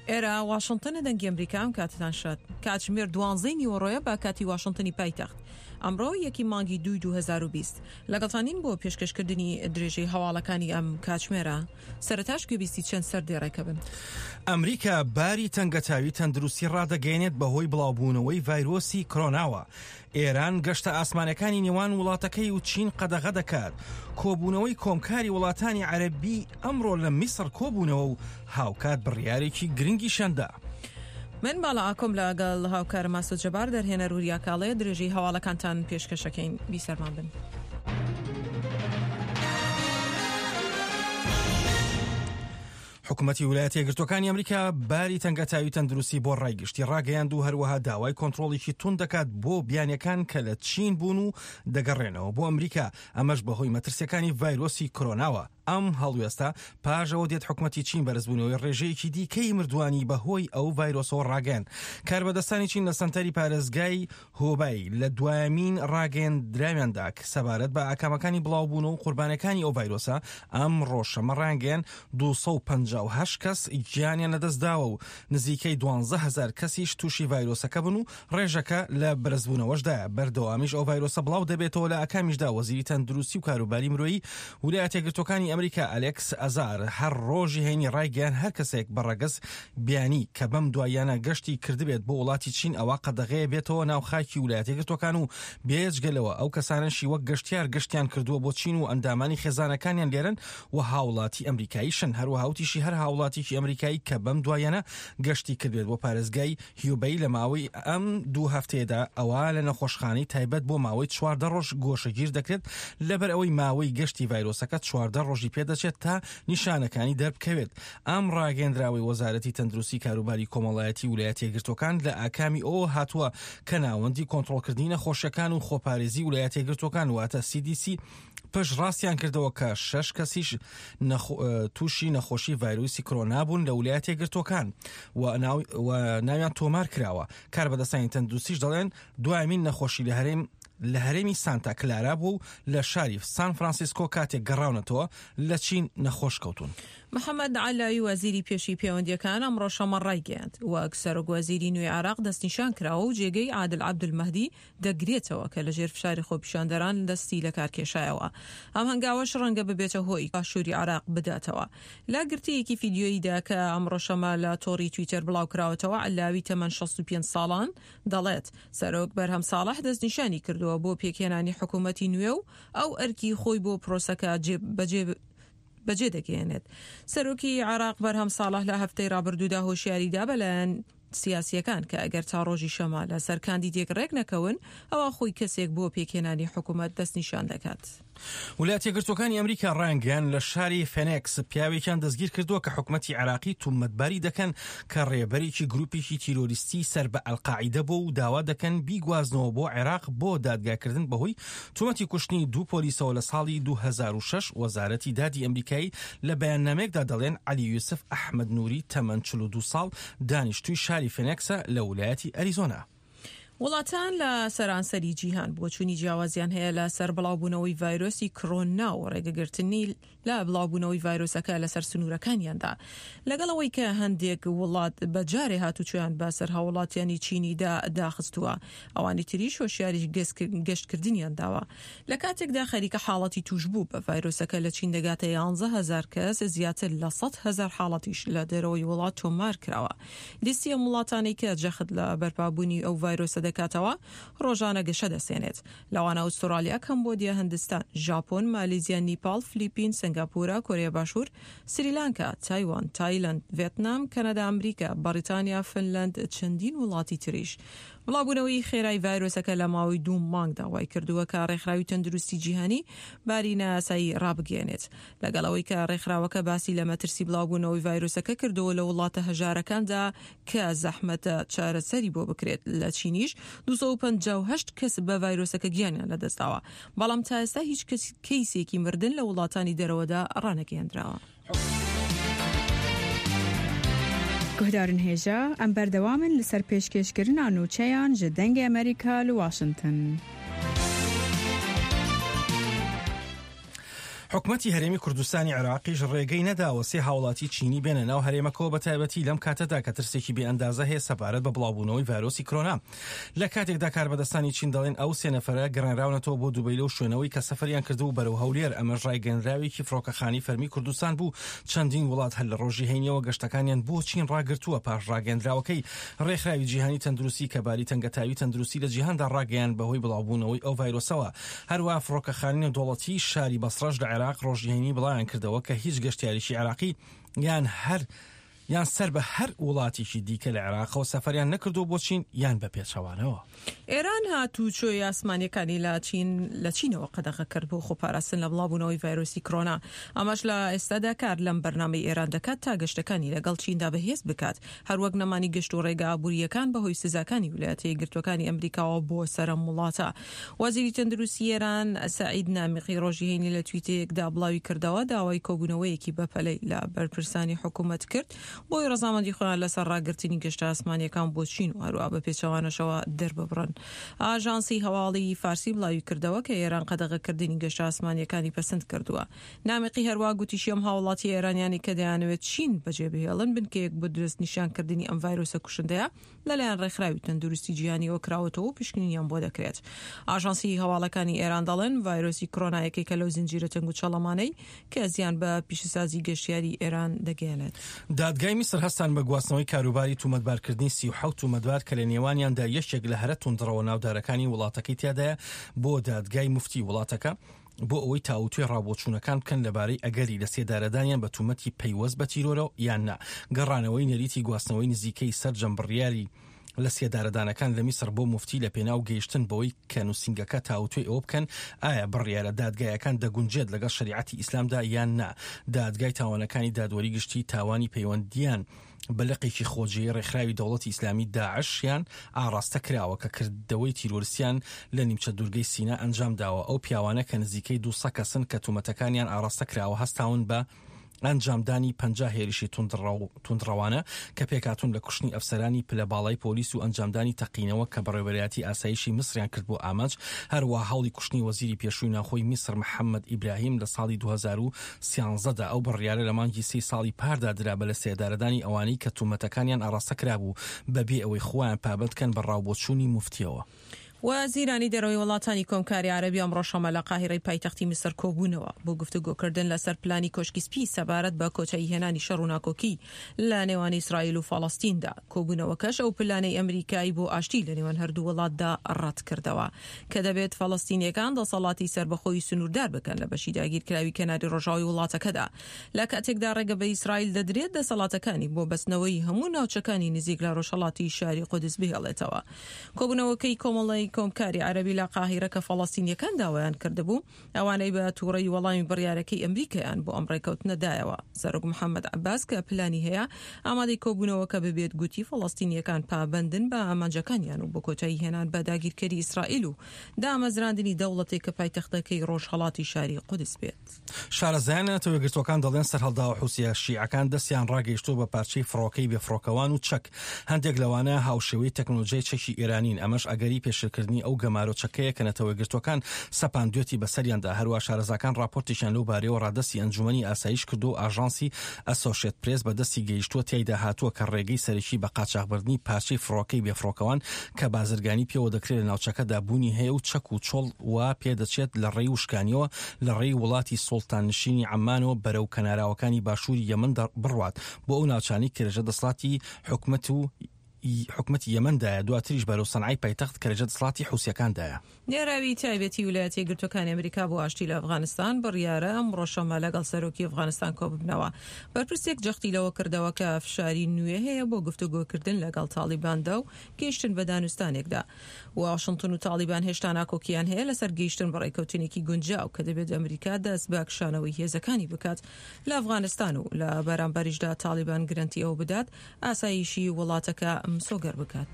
ئێرە واشنتنە دەنگی ئەمریکا ئەم کاتتان شاد. کاتژمێر دوانزەی نیوەڕۆیە بە کاتی واشنتنی پایتەخت. ئەمڕۆ یەکی مانگی دووی 2020. لەگەڵتانین بۆ پێشکەشکردنی درێژەی هەواڵەکانی ئەم کاتژمێرە. سەرەتاش گوێبیستی چەند سەردێڕێکە بن. ئەمریکا باری تەنگەتاوی تەندروستی ڕادەگەیەنێت بەهۆی بڵاوبوونەوەی ڤایرۆسی کرۆناوە. ئێران گەشتە ئاسمانەکانی نێوان وڵاتەکەی و چین قەدەغە دەکات. کۆبوونەوەی کۆمکاری وڵاتانی عەرەبی ئەمڕۆ لە میسڕ کۆبوونەوە و هاوکات بڕیارێکی گرنگیشیان دا. من باڵا ئاکۆم لەگەڵ هاوکارم ئاسۆ جەبار دەرهێنەر وریا کاڵێ درێژەی هەواڵەکانتان پێشکەشەکەین بیسەرمان بن. حکومەتی ولایەتە یەکگرتووەکانی ئەمریکا باری تەنگەتاوی تەندروستی بۆ ڕای گشتی ڕاگەیاند و هەروەها داوای کۆنترۆڵێکی توند دەکات بۆ بیانیەکان کە لە چین بوون و دەگەڕێنەوە بۆ ئەمریکا ئەمەش بەهۆی مەترسیەکانی ڤایرۆسی کۆرۆناوە ئەم هەڵوێستە پاش ئەوە دێت حکومەتی چین بەرزبوونەوەی ڕێژەیەکی دیکەی مردووانی بەهۆی ئەو ڤایرۆسەوە ڕاگەیاند کاربەدەستانی چین لە سەنتەری پارێزگای هۆبای لە دوایەمین ڕاگەیەندراویاندا سەبارەت بە ئاکامەکانی بڵاوبوونەوە و قوربانیەکانی ئەو ڤایرۆسە ئەمڕۆ شەممە ڕایانگەیاند 258 کەس گیانیان لەدەستداوە و نزیکەی 12 هەزار کەسیش تووشی ڤایرۆسەکە بوون و ڕێژەکە لە بەرزبوونەوەشدایە بەردەوامیش ئەو ڤایرۆسە بڵاو دەبێتەوە لە ئاکامیشدا وەزیری تەندروستی و کاروباری مرۆیی ولایەتە یەکگرتووەکانی ئەمریکا ئەلێکس ئەزار هەر ڕۆژی هەینی ڕایگەیاند هەر کەسێک بە ڕەگەز بیانی کە بەم دواییانە گەشتی کردبێت بۆ وڵاتی چین ئەوا قەدەغەیە بێتەوە ناو خاکی ولایەتە یەکگرتووەکان و بێجگە لەوە ئەو کەسانەشی وەک گەشتیار گەشتیان کردووە بۆ چین و ئەندامانی خێزانەکانیان لێرەن و هاوڵاتی ئەمریکاییشن هەروەها وتیشی هەر هاوڵاتیکی ئەمریکایی کە بەم دواییانە گەشتی کردبێت بۆ پارێزگای هیوبەی لە ماوەی ئەم دوو هەفتەیەدا ئەوا لە نەخۆشخانەی تایبەت بۆ ماوەی 14 ڕۆژ گۆشەگیر دەکرێت لەبەر ئەوەی ماوەی گەشتی ڤایرۆسەکە 14 ڕۆژی پێدەچێت تا نیشانەکانی دەربکەوێت. ئەم ڕاگەیەندراوەی وەزارەتی تەندروستی کاروباری کۆمەڵایەتی ولایەتە یەکگرتووەکان لە ئاکامی ئەوەوە هاتووە کە ناوەندی کۆنترۆڵکردنی نەخۆشیەکان و خۆپارێزی ولایەتە یەکگرتووەکان واتە CDC پشتڕاستیان کردەوە کە شەش کەسیش تووشی نەخۆشی ڤایرۆسی کرۆنا بوون لە ولایەتە یەکگرتووەکان و ناویان تۆمار کراوە. کاربەدەستانی تەندروستیش دەڵێن دوایەمین نەخۆشی لە هەرێم لە هەرێمی سانتا کلارا بووە و لە شاری سان فرانسیسکۆ کاتێک گەڕاونەتەوە لە چین نەخۆش کەوتوون. محەمەد عەلاوی وەزیری پێشووی پێوەندییەکان ئەمڕۆ شەممە ڕایگەیاند، وەک سەرۆک وەزیری نوێی عێراق دەستنیشان کراوە و جێگەی عادل عەبدولمەهدی دەگرێتەوە کە لەژێر فشاری خۆپیشاندەران دەستی لەکارکێشایەوە. ئەم هەنگاوەش ڕەنگە ببێتە هۆی باشووری عێراق بداتەوە. لە گرتەیەکی فیدیۆییدا کە ئەمڕۆ شەممە لە تۆڕی تویتەر بڵاوکراوەتەوە، عەلاوی تەمەن 65 ساڵان دەڵێت، سەرۆک بەرهەم ساڵح دەستنیشانی کردووە بۆ پێکهێنانی حکوومەتی نوێ و ئەو ئەرکی خۆی بۆ پرۆسەکە بەجێ بەجێ دەگەیەنێت. سەرۆکی عێراق بەرهەم ساڵح لە هەفتەی ڕابردوودا هۆشیاری دا بە لایەن سیاسییەکان کە ئەگەر تا ڕۆژی شەمە لەسەر کاندیدێک ڕێک نەکەون، ئەوا خۆی کەسێک بۆ پێکهێنانی حکوومەت دەستنیشان دەکات. ولایەتە یەکگرتووەکانی ئەمریکا ڕایانگەیاند، لە شاری فێنێکس پیاوێکیان دەستگیرکردووە کە حکومەتی عێراقی تومەتباری دەکەن کە ڕێبەرێکی گروپێکی تیرۆریستی سەر بە ئەلقاعیدە بووە و داوا دەکەن بیگوازنەوە بۆ عێراق بۆ دادگاکردن بەهۆی تۆمەتی کوشتنی دوو پۆلیسەوە لە ساڵی 2006. وەزارەتی دادی ئەمریکایی لە بەیاننامەیەکدا دەڵێن عەلی یوسف ئەحمەد نوری تەمەن 42 ساڵ دانیشتووی شاری فێنێکسە لە ولایەتی ئەریزۆنا. وڵاتان لە سەرانسەری جیهان بۆچوونی جیاوازیان هەیە لە سەر بڵاوبوونەوەی ڤایرۆسی کرۆنا و ڕێگەگرتنی لە بڵاوبوونەوەی ڤایرۆسەکە لەسەر سنوورەکانیاندا. لەگەڵ ئەوەی کە هەندێک وڵات بە جارێ هاتوچۆیان بە سەر هاووڵاتیانی چینیدا داخستووە، ئەوانی تریش هۆشیاری گەشتکردنیان داوە. لە کاتێکدا خەریکە حاڵەتی تووشبوو بە ڤایرۆسەکە لە چین دەگاتە 11 هەزار کەس، زیاتر لە 100 هەزار حاڵەتیش لە دەرەوەی وڵات تۆمار کراوە. لیستی ئەم وڵاتانەی کە جەخت لە بەرپابوونی ئەو ڤایرۆسە دەکاتەوە، ڕۆژانە گەشە دەسێنێت. لەوانە ئوستوڕالیا، کەمبۆدیا، هندستان، ژاپۆن، مالیزیا، نیپاڵ، فلیپین، سەنگاپورە، کۆریا باشوور، سریلانکا، تایوان، تایلەند، ڤێتنام، کەنەدا، ئەمریکا، بەڕیتانیا، فنلەند، چەندین وڵاتی تریش. بڵاوبوونەوەی خێرای ڤایرۆسەکە لە ماوەی دوو مانگدا وایکردووە کە ڕێکخراوی تەندروستی جیهانی باری نایاسایی ڕابگەیەنێت. لەگەڵ ئەوەی کە ڕێکخراوەکە باسی لە مەترسی بڵاوبوونەوەی ڤایرۆسەکە کردەوە لە وڵاتە هەژارەکاندا کە زەحمەتە چارەسەری بۆ بکرێت، لە چینیش 258 کەس بە ڤایرۆسەکە گیانیان لەدەستداوە، بەڵام تا ئێستا هیچ کەیسێکی مردن لە وڵاتانی دەرەوەدا ڕانەگەیەندراوە. Guhdarên hêja, em berdewam in li ser pêşkêşkirina nûçeyan ji Dengê Amerîka li Washington. حکومەتی هەرێمی کوردستانی عێراقیش ڕێگەی نەداوە سێ هاوڵاتی چینی بێنە ناو هەرێمەکەوە بەتایبەتی لەم کاتەدا کە ترسێکی بێ ئەندازە هەیە سەبارەت بە بڵاوبوونەوەی ڤایرۆسی کرۆنا. لە کاتێکدا کاربەدەستانی چین دەڵێن ئەو سێ نەفەرە گەڕێنراونەتەوە بۆ دوبەی لەو شوێنەوەی کە سەفەریان کردبوو بەرەو هەولێر، ئەمەش ڕایگەیەنراوێکی فڕۆکەخانەی فەرمی کوردستان بوو، چەندین وڵات هەر لە ڕۆژی هەینیەوە گەشتەکانیان بۆ چین ڕاگرتووە پاش ڕاگەیەندراوەکەی ڕێکخراوی جیهانی تەندروستی کە باری تەنگەتاوی تەندروستی لە جیهاندا ڕاگەیاند بەهۆی بڵاوبوونەوەی ئەو ڤایرۆسەوە. هەروەها فڕۆکەخانەی نێودەوڵەتیی شاری بەسڕەش لە عێراق ڕۆژی هەینی بڵاویان کردەوە کە هیچ گەشتیارێکی عێراقی یان هەر یان سەر بە هەر وڵاتێکی دیکە لە عێراقەوە سەفەریان نەکردووە بۆ چین یان بە پێچەوانەوە. ئێران هاتووچۆی ئاسمانییەکانی لە چین لە چینەوە قەدەغە کرد بۆ خۆپاراستن لە بڵاوبوونەوەی ڤایرۆسی کرۆنا. ئەمەش لە ئێستادا کار لەم بەرنامەی ئێران دەکات تا گەشتەکانی لەگەڵ چیندا بەهێز بکات، هەروەک نەمانی گەشت و ڕێگە ئابوورییەکان بەهۆی سزاکانی ویلایەتە یەکگرتووەکانی ئەمریکاوە بۆ سەر ئەم وڵاتە. وەزیری تەندروستی ئێران سەعید نامیقی ڕۆژی هەینی لە تویتێکدا بڵاوی کردەوە، داوای کۆبوونەوەیەکی بەپەلەی لە بەرپرسانی حکوومەت کرد بۆی ڕەزامەندی خۆیان لەسەر ڕاگرتنی گەشتە ئاسمانییەکان بۆ چین و هەروەها بە پێچەوانەشەوە دەرببڕن. ئاژانسی هەواڵی فارسی بڵاوی کردەوە کە ئێران قەدەغەکردنی گەشتە ئاسمانییەکانی پەسند کردووە. نامیقی هەروا گوتیشی ئەم هاوڵاتییە ئێرانیانەی کە دەیانەوێت چین بەجێ بهێڵن بنکەیەک بۆ دەستنیشانکردنی ئەم ڤایرۆسە کوشندەیە لەلایەن ڕێکخراوی تەندروستی جیهانیەوە کراوەتەوە و پشکنینیان بۆ دەکرێت. ئاژانسی هەواڵەکانی ئێران دەڵێن ڤایرۆسی کرۆنا یەکێکە لەو زنجیرە تەنگوچەڵەمانەی کە زیان بە پیشەسازی گەشتیاری ئێران دەگەیەنێت. دادگای میسر هەستان بە گواستنەوەی کاروباری تومەتبارکردنی 37 تومەتبار کە لە نێوانیاندا یەکێک لە هەرە توندڕەوە ناودارەکانی وڵاتەکەی تیادایە بۆ دادگای موفتی وڵاتەکە بۆ ئەوەی تاووتوێ ڕاوبۆچوونەکان بکەن لەبارەی ئەگەری لەسێدارەدانیان بە تومەتی پەیوەست بە تیرۆرەوە یان نا. گەڕانەوەی نەریتی گواستنەوەی نزیکەی سەرجەم بڕیاری لەسێدارەدانەکان لە میسڕ بۆ موفتی لەپێناو گەیشتن بەوەی کە نووسینگەکە تاووتوێی ئەوە بکەن ئایا بڕیارە دادگایەکان دەگونجێت لەگەڵ شەریعەتی ئیسلامدا یان نا. دادگای تاوانەکانی دادوەری گشتی تاوانی پەیوەندییان بە لقێکی خۆجێی ڕێکخراوی دەوڵەتی ئیسلامی داعش یان ئاڕاستە کراوە کە کردەوەی تیرۆرستیان لە نیمچە دوورگەی سینا ئەنجام داوە، ئەو پیاوانە کە نزیکەی 200 کەسن کە تومەتەکانیان ئاڕاستە کراوە هەستاون بە ئەنجامدانی 50 هێرشی توندڕەوانە کە پێکهاتوون لە کوشتنی ئەفسەرانی پلە باڵای پۆلیس و ئەنجامدانی تەقینەوە کە بەڕێوەبەرایەتی ئاسایشی میسریان کردبووە ئامانج، هەروەها هەوڵی کوشتنی وەزیری پێشووی ناوخۆی میسر محەممەد ئیبراهیم لە ساڵی 2013 دا. ئەو بڕیارە لە مانگی سێی ساڵی پاردا درا بە لەسێدارەدانی ئەوانەی کە تومەتەکانیان ئاڕاستە کرابوو بەبێ ئەوەی خۆیان پابەند کەن بە ڕاوبۆچوونی موفتیەوە. وەزیرانی دەرەوەی وڵاتانی کۆمکاری عەرەبی ئەمڕۆ شەممە لە قاهیرەی پایتەختی میسر کۆبوونەوە بۆ گفتوگۆکردن لەسەر پلانی کۆشکی سپی سەبارەت بە کۆتاییهێنانی شەڕ و ناکۆکی لە نێوان ئیسرائیل و فەڵەستیندا. کۆبوونەوەکەش ئەو پلانەی ئەمریکای بۆ ئاشتی لە نێوان هەردوو وڵاتدا ڕەتکردەوە کە دەبێت فەڵەستینیەکان دەسەڵاتی سەربەخۆی سنووردار بکەن لە بەشی داگیرکراوی کەناری ڕۆژاوای وڵاتەکەدا لە کاتێکدا ڕێگە بە ئیسرائیل دەدرێت دەسەڵاتەکانی بۆ بەستنەوەی هەموو ناوچەکانی نزیک لە ڕۆژهەڵاتی شاری قودس بهێڵێتەوە. کۆبوونەوەکەی کۆمەڵەی کۆمکاری عەرەبی لە قاهیرە کە فەڵەستینیەکان داوایان کردبوو، ئەوانەی بە تووڕەیی وەڵامی بڕیارەکەی ئەمریکایان بۆ ئەم ڕێکەوتنە دایەوە. سەرۆک محەمەد عەباس کە پلانی هەیە ئامادەی کۆبوونەوەکە ببێت گوتی فەڵەستینییەکان پابەندن بە ئامانجەکانیان و بۆ کۆتایی هێنان بە داگیرکەری ئیسرائیل و دامەزراندنی دەوڵەتێک کە پایتەختەکەی ڕۆژهەڵاتی شاری قودس بێت. شارەزایان لە نەتەوە یەکگرتووەکان دەڵێن سەرهەڵداوە حوسییە شیعەکان دەستیان ڕاگەیشتووە بە پارچەی فڕۆکەی بێفڕۆکەوان و چەک، هەندێک لەوانە هاوشێوەی تەکنۆلۆژیای چەکی ئێرانین، ئەمەش ئەگەری پێشێلکردنی ئەو گەمارۆ چەکەیە کە نەتەوە یەکگرتووەکان سەپاندوێتی بەسەریاندا، هەروا شارەزاکان ڕاپۆرتێکیان لەو بارەیەوە ڕادەستی ئەنجومەنی ئاسایش کردووە و ئاژانسی ئەسۆشێت پرێس بە دەستی گەیشتووە تیایدا هاتووە کە ڕێگەی سەرەکی بە قاچاخبردنی پارچەی فڕۆکەی بێفڕۆکەوان کە بازرگانی پێوە دەکرێت لە ناوچەکەدا بوونی هەیە و چەک و چۆڵ وا پێدەچێت لە ڕێی وشکانیەوە لە ڕێی وڵاتی سوڵتاننشینی عەممانەوە بەرەو کەناراوەکانی باشووری یەمەن بڕوات بۆ ئەو ناوچانەی کە لەژێر دەسەڵاتی حکومەت و حکومەتی یەمەندایە، دواتریش بەرەو سەنعای پایتەخت کە لەژێر دەسەڵاتی حوسییەکاندایە. نێراوی تایبەتی ویلایەتە یەکگرتووەکانی ئەمریکا بۆ ئاشتی لە ئەفغانستان بڕیارە ئەمڕۆ شەممە لەگەڵ سەرۆکی ئەفغانستان کۆببنەوە. بەرپرسێک جەختی لەوە کردەوە کە فشاری نوێ هەیە بۆ گفتوگۆکردن لەگەڵ تاڵیباندا و گەیشتن بە دانوستانێکدا. واشنتن و تاڵیبان هێشتا ناکۆکییان هەیە لەسەر گەیشتن بە ڕێککەوتنێکی گونجاو کە دەبێت ئەمریکا دەست بە کشانەوەی هێزەکانی بکات لە ئەفغانستان و لە بەرامبەریشدا تاڵیبان گرەنتی ئەوە بدات ئاسایشی وڵاتەکە مسۆگەر بکات.